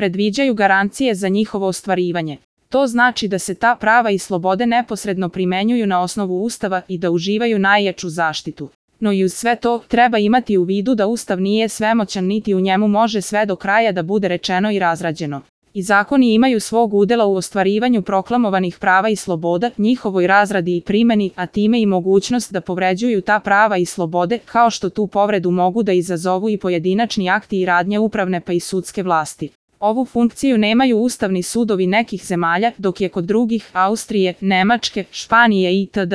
predviđaju garancije za njihovo ostvarivanje. To znači da se ta prava i slobode neposredno primenjuju na osnovu Ustava i da uživaju najjaču zaštitu. No i uz sve to, treba imati u vidu da Ustav nije svemoćan niti u njemu može sve do kraja da bude rečeno i razrađeno. I zakoni imaju svog udela u ostvarivanju proklamovanih prava i sloboda, njihovoj razradi i primeni, a time i mogućnost da povređuju ta prava i slobode, kao što tu povredu mogu da izazovu i pojedinačni akti i radnje upravne pa i sudske vlasti. Ovu funkciju nemaju ustavni sudovi nekih zemalja, dok je kod drugih, Austrije, Nemačke, Španije itd.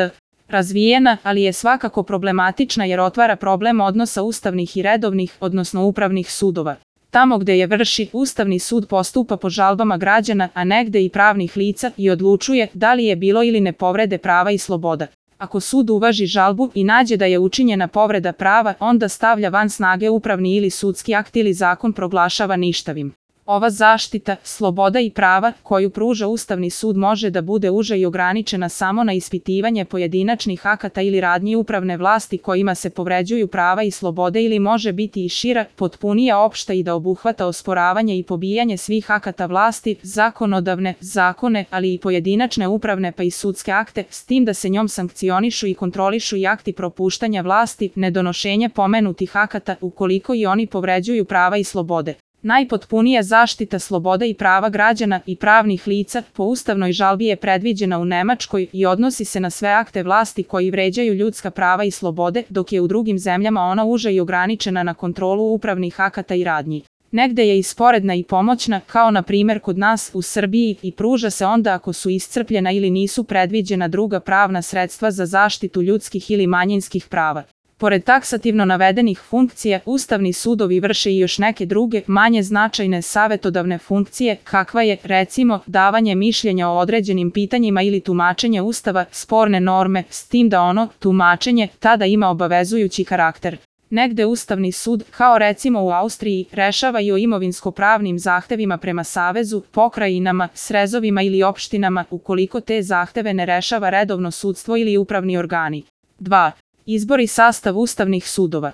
razvijena, ali je svakako problematična jer otvara problem odnosa ustavnih i redovnih, odnosno upravnih sudova. Tamo gde je vrši, Ustavni sud postupa po žalbama građana, a negde i pravnih lica i odlučuje da li je bilo ili ne povrede prava i sloboda. Ako sud uvaži žalbu i nađe da je učinjena povreda prava, onda stavlja van snage upravni ili sudski akt ili zakon proglašava ništavim. Ova zaštita, sloboda i prava, koju pruža Ustavni sud može da bude uža i ograničena samo na ispitivanje pojedinačnih akata ili radnji upravne vlasti kojima se povređuju prava i slobode ili može biti i šira, potpunija opšta i da obuhvata osporavanje i pobijanje svih akata vlasti, zakonodavne, zakone, ali i pojedinačne upravne pa i sudske akte, s tim da se njom sankcionišu i kontrolišu i akti propuštanja vlasti, nedonošenje pomenutih akata ukoliko i oni povređuju prava i slobode. Najpotpunija zaštita sloboda i prava građana i pravnih lica po ustavnoj žalbi je predviđena u Nemačkoj i odnosi se na sve akte vlasti koji vređaju ljudska prava i slobode, dok je u drugim zemljama ona uža i ograničena na kontrolu upravnih akata i radnji. Negde je i sporedna i pomoćna, kao na primjer kod nas u Srbiji, i pruža se onda ako su iscrpljena ili nisu predviđena druga pravna sredstva za zaštitu ljudskih ili manjinskih prava. Pored taksativno navedenih funkcija, ustavni sudovi vrše i još neke druge, manje značajne savetodavne funkcije, kakva je, recimo, davanje mišljenja o određenim pitanjima ili tumačenje Ustava, sporne norme, s tim da ono, tumačenje, tada ima obavezujući karakter. Negde Ustavni sud, kao recimo u Austriji, rešava i o imovinsko-pravnim zahtevima prema savezu, pokrajinama, srezovima ili opštinama, ukoliko te zahteve ne rešava redovno sudstvo ili upravni organi. 2. Izbor i sastav ustavnih sudova.